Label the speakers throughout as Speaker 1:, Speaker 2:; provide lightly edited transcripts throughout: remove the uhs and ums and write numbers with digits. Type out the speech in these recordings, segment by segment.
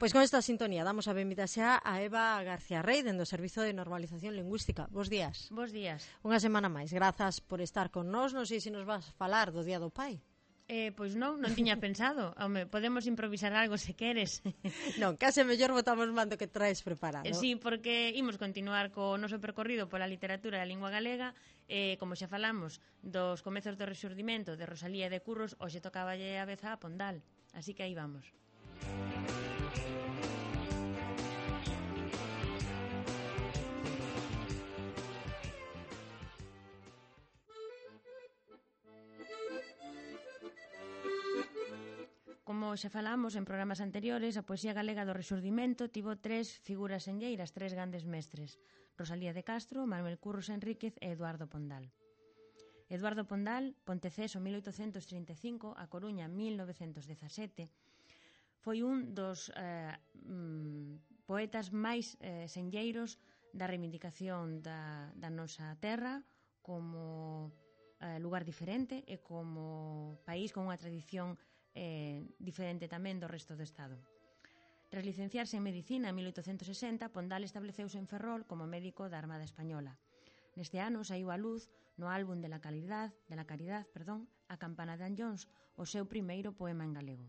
Speaker 1: Pois con esta sintonía damos a benvida xa a Eva García Rey dende o Servizo de Normalización Lingüística. Bos días.
Speaker 2: Bos días.
Speaker 1: Unha semana máis. Grazas por estar con nós. Non sei se nos vas falar do Día do Pai.
Speaker 2: Pois non tiña pensado. Home, podemos improvisar algo se queres.
Speaker 1: Non, case mellor botamos mando que traes preparado.
Speaker 2: Sí, porque imos continuar co noso percorrido pola literatura e a lingua galega. Como xa falamos dos comezos do Rexurdimento de Rosalía e de Curros, hoxe tocaballe a vez a Pondal. Así que aí vamos. Como xa falamos en programas anteriores, a poesía galega do Rexurdimento tivo tres figuras enlleiras, tres grandes mestres: Rosalía de Castro, Manuel Curros Enríquez e Eduardo Pondal. Eduardo Pondal, Ponteceso 1835, A Coruña 1917, foi un dos poetas máis senlleiros da reivindicación da nosa terra como lugar diferente e como país con unha tradición diferente tamén do resto do Estado. Tras licenciarse en Medicina en 1860, Pondal estableceuse en Ferrol como médico da Armada Española. Neste ano saiu á luz no álbum de la Caridad, A Campana de Anllóns, o seu primeiro poema en galego.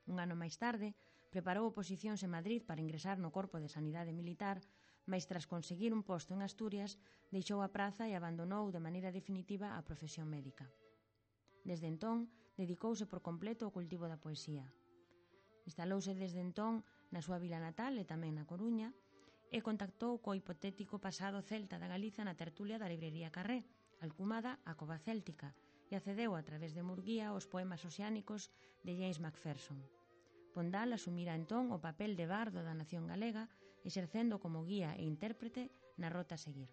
Speaker 2: Un ano máis tarde, preparou oposicións en Madrid para ingresar no Corpo de Sanidade Militar, mais tras conseguir un posto en Asturias, deixou a praza e abandonou de maneira definitiva a profesión médica. Desde entón, dedicouse por completo ao cultivo da poesía. Instalouse desde entón na súa vila natal e tamén na Coruña e contactou co hipotético pasado celta da Galiza na tertulia da librería Carré, alcumada a Cova Céltica, e accedeu a través de Murguía aos poemas oceánicos de James Macpherson. Pondal asumira entón o papel de bardo da nación galega, exercendo como guía e intérprete na rota a seguir.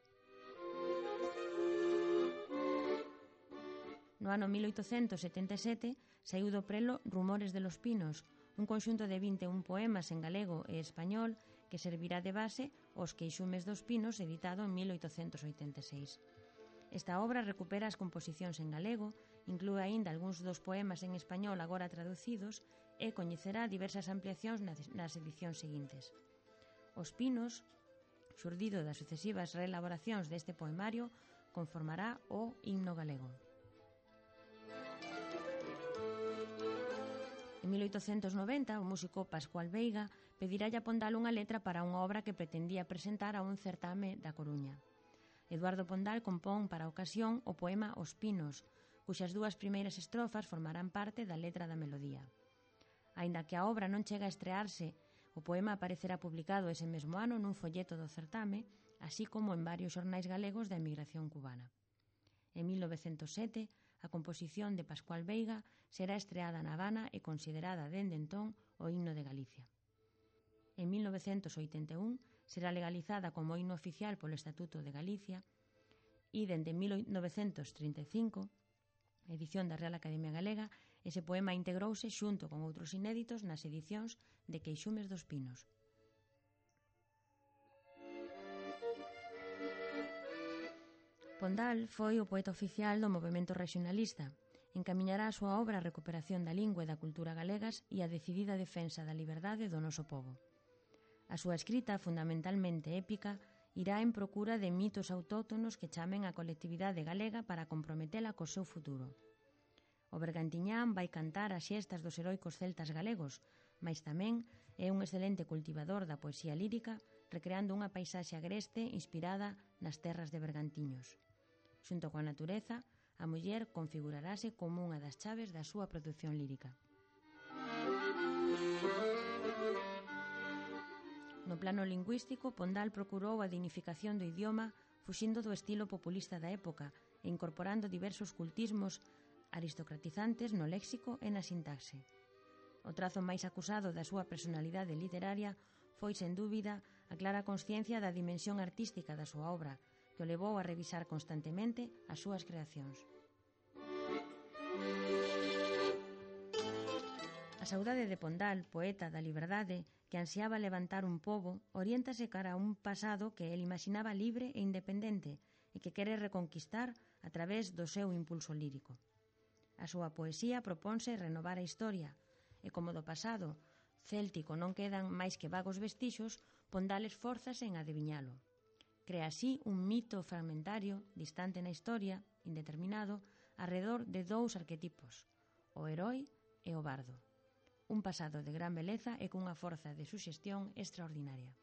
Speaker 2: No ano 1877 saiu do prelo Rumores de los Pinos, un conxunto de 21 poemas en galego e español que servirá de base aos Queixumes dos Pinos, editado en 1886. Esta obra recupera as composicións en galego, inclúe aínda algúns dos poemas en español agora traducidos e coñecerá diversas ampliacións nas edicións seguintes. Os Pinos, xurdido das sucesivas reelaboracións deste poemario, conformará o himno galego. En 1890, o músico Pascual Veiga pedirálle a Pondal unha letra para unha obra que pretendía presentar a un certame da Coruña. Eduardo Pondal compón para a ocasión o poema Os Pinos, cuxas dúas primeiras estrofas formarán parte da letra da melodía. Aínda que a obra non chega a estrearse, o poema aparecerá publicado ese mesmo ano nun folleto do certame, así como en varios xornais galegos da emigración cubana. En 1907, a composición de Pascual Veiga será estreada na Habana e considerada dende entón o himno de Galicia. En 1981 será legalizada como himno oficial polo Estatuto de Galicia e dende 1935, edición da Real Academia Galega, ese poema integrouse xunto con outros inéditos nas edicións de Queixumes dos Pinos. Pondal foi o poeta oficial do movemento regionalista. Encamiñará a súa obra a recuperación da lingua e da cultura galegas e a decidida defensa da liberdade do noso pobo. A súa escrita, fundamentalmente épica, irá en procura de mitos autóctonos que chamen a colectividade galega para comprometela co seu futuro. O Bergantiñán vai cantar as xestas dos heroicos celtas galegos, mais tamén é un excelente cultivador da poesía lírica, recreando unha paisaxe agreste inspirada nas terras de Bergantiños. Xunto coa natureza, a muller configurarase como unha das chaves da súa produción lírica. No plano lingüístico, Pondal procurou a dignificación do idioma fuxindo do estilo populista da época e incorporando diversos cultismos aristocratizantes no léxico e na sintaxe. O trazo máis acusado da súa personalidade literaria foi, sen dúbida, a clara consciencia da dimensión artística da súa obra, que o levou a revisar constantemente as súas creacións. A saudade de Pondal, poeta da liberdade, que ansiaba levantar un pobo, oriéntase cara a un pasado que el imaginaba libre e independente e que quere reconquistar a través do seu impulso lírico. A súa poesía proponse renovar a historia e, como do pasado, céltico non quedan máis que vagos vestixos, Pondal esfórzase en adiviñalo. Crea así un mito fragmentario, distante na historia, indeterminado, arredor de dous arquetipos, o herói e o bardo. Un pasado de gran beleza e cunha forza de suxestión extraordinaria.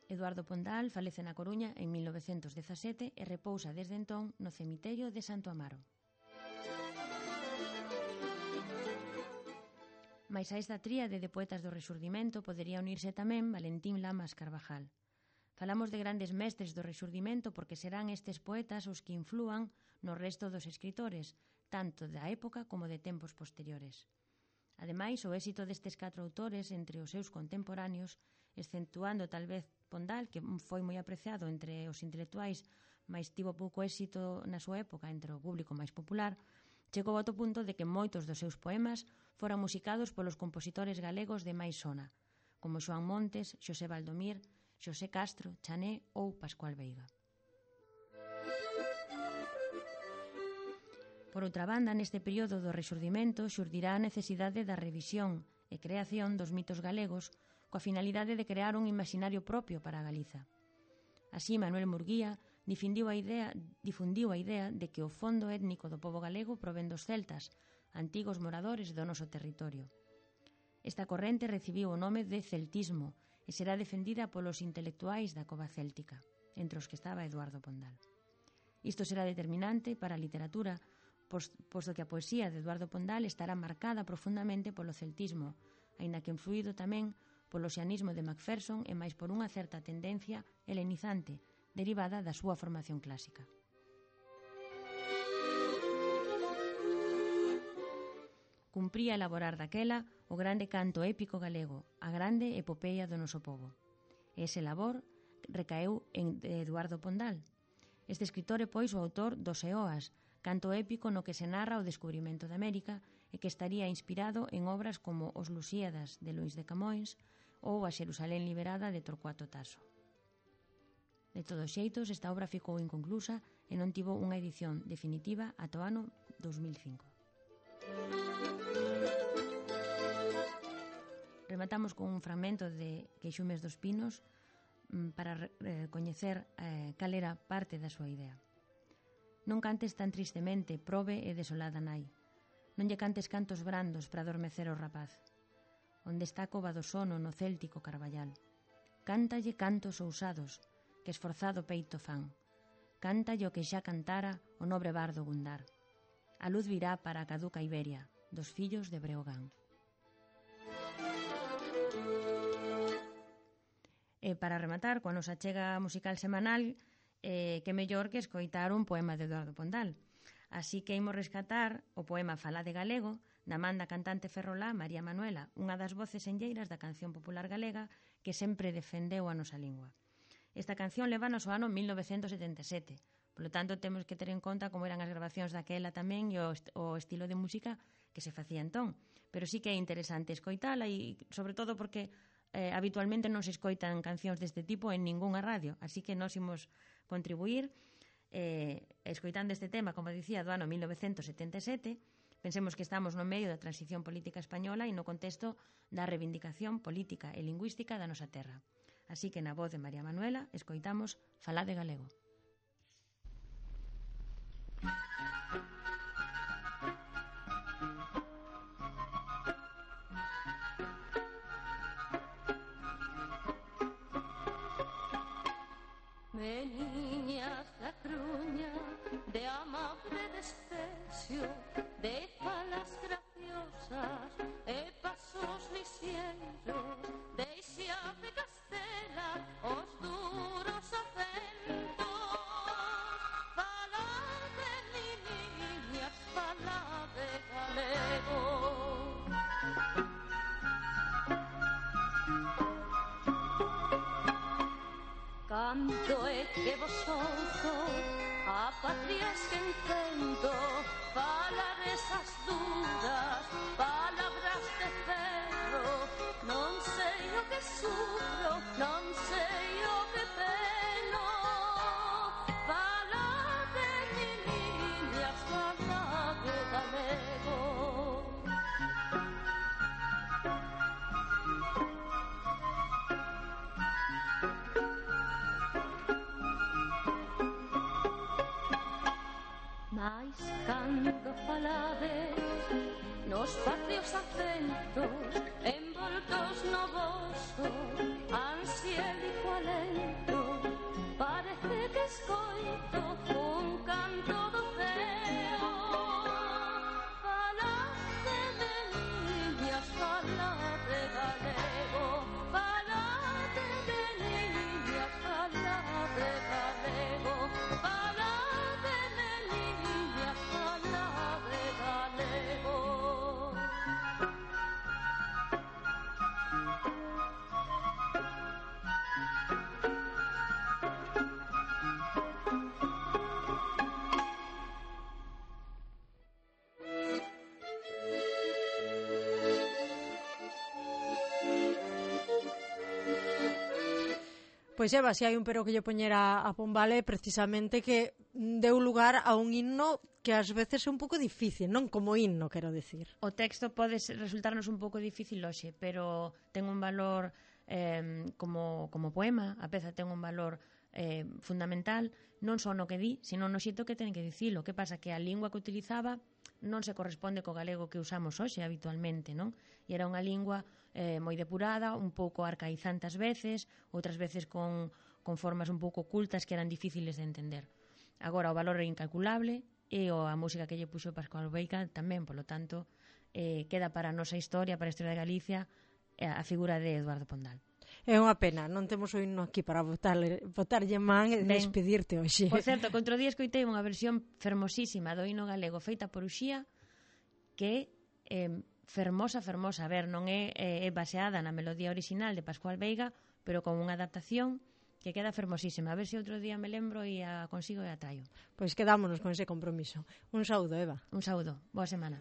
Speaker 2: Eduardo Pondal falece na Coruña en 1917 e repousa desde entón no cemiterio de Santo Amaro. Mais a esta tríade de poetas do Rexurdimento podería unirse tamén Valentín Lamas Carvajal. Falamos de grandes mestres do Rexurdimento porque serán estes poetas os que inflúan no resto dos escritores, tanto da época como de tempos posteriores. Ademais, o éxito destes 4 autores entre os seus contemporáneos, exceptuando tal vez Pondal, que foi moi apreciado entre os intelectuais, mas tivo pouco éxito na súa época entre o público máis popular, chegou ao punto de que moitos dos seus poemas foran musicados polos compositores galegos de máis sona, como Xoán Montes, Xosé Valdomir, Xosé Castro, Chané ou Pascual Veiga. Por outra banda, neste período do Rexurdimento xurdirá a necesidade da revisión e creación dos mitos galegos coa finalidade de crear un imaginario propio para a Galiza. Así, Manuel Murguía difundiu a idea de que o fondo étnico do pobo galego provén dos celtas, antigos moradores do noso territorio. Esta corrente recibiu o nome de celtismo e será defendida polos intelectuais da cova céltica, entre os que estaba Eduardo Pondal. Isto será determinante para a literatura, posto que a poesía de Eduardo Pondal estará marcada profundamente polo celtismo, aínda que influído tamén polo xianismo de Macpherson e máis por unha certa tendencia helenizante derivada da súa formación clásica. Cumpría elaborar daquela o grande canto épico galego, a grande epopeia do noso pobo. Ese labor recaeu en Eduardo Pondal. Este escritor é, pois, o autor dos Eoas, canto épico no que se narra o descubrimento de América e que estaría inspirado en obras como Os Lusíadas de Luís de Camões ou A Xerusalén liberada de Torcuato Tasso. De todos xeitos, esta obra ficou inconclusa e non tivo unha edición definitiva ata o ano 2005. Rematamos con un fragmento de Queixumes dos Pinos para coñecer cal era parte da súa idea. Non cantes tan tristemente, probe e desolada nai. Non lle cantes cantos brandos para adormecer o rapaz. Onde está a cova do sono no céltico Carballal. Cántalle cantos ousados, que esforzado peito fan. Cántalle o que xa cantara o nobre bardo Gundar. A luz virá para a caduca Iberia, dos fillos de Breogán. E para rematar, coa nosa chega musical semanal, que mellor que escoitar un poema de Eduardo Pondal. Así que imos rescatar o poema Falade galego, da man da cantante ferrolá María Manuela, unha das voces enlleiras da canción popular galega que sempre defendeu a nosa lingua. Esta canción levanos ao ano 1977, polo tanto temos que ter en conta como eran as grabacións daquela tamén e o estilo de música que se facía entón. Pero sí que é interesante escoitala e sobre todo porque habitualmente non se escoitan cancións deste tipo en ningunha radio, así que nós imos contribuir escoitando este tema, como dicía, do ano 1977. Pensemos que estamos no medio da transición política española e no contexto da reivindicación política e lingüística da nosa terra. Así que na voz de María Manuela escoitamos Falade galego.
Speaker 3: Veniñas da Cruña, de amable desprecio, de falas graciosas e pasos lixeiros, deixa de Castela os duros acentos. Falade, niñas, falade galego. Canto é que vos ouzo, a patria esquentendo, falar esas Mais cando falades nos patrios acentos envoltos no voso ansiélico alento, parece que escoito un canto do ceo. Falade de niñas, falade galego, falade de niñas, falade galego, falade de niñas, falade galego.
Speaker 1: Pois Eva, se hai un pero que lle poñera a Pombal é precisamente que deu lugar a un himno que ás veces é un pouco difícil, non como himno, quero decir.
Speaker 2: O texto pode resultarnos un pouco difícil hoxe, pero ten un valor como poema, a peza ten un valor fundamental, non só no que di, sino no xeito que ten que dicilo. Que pasa? Que a lingua que utilizaba non se corresponde co galego que usamos hoxe habitualmente, non? E era unha lingua moi depurada, un pouco arcaizante ás veces, outras veces con formas un pouco ocultas que eran difíciles de entender. Agora, o valor é incalculable e a música que lle puxo Pascual Veiga tamén, polo tanto, queda para a nosa historia, para a historia de Galicia, a figura de Eduardo Pondal.
Speaker 1: É unha pena, non temos o himno aquí para botarlle man e despedirte hoxe.
Speaker 2: Por certo, que outro día escoitei unha versión fermosísima do himno galego feita por Uxía, que fermosa. A ver, non é baseada na melodía original de Pascual Veiga, pero con unha adaptación que queda fermosísima. A ver se outro día me lembro e a consigo e a traio.
Speaker 1: Pois quedámonos con ese compromiso. Un saúdo, Eva.
Speaker 2: Un saúdo. Boa semana.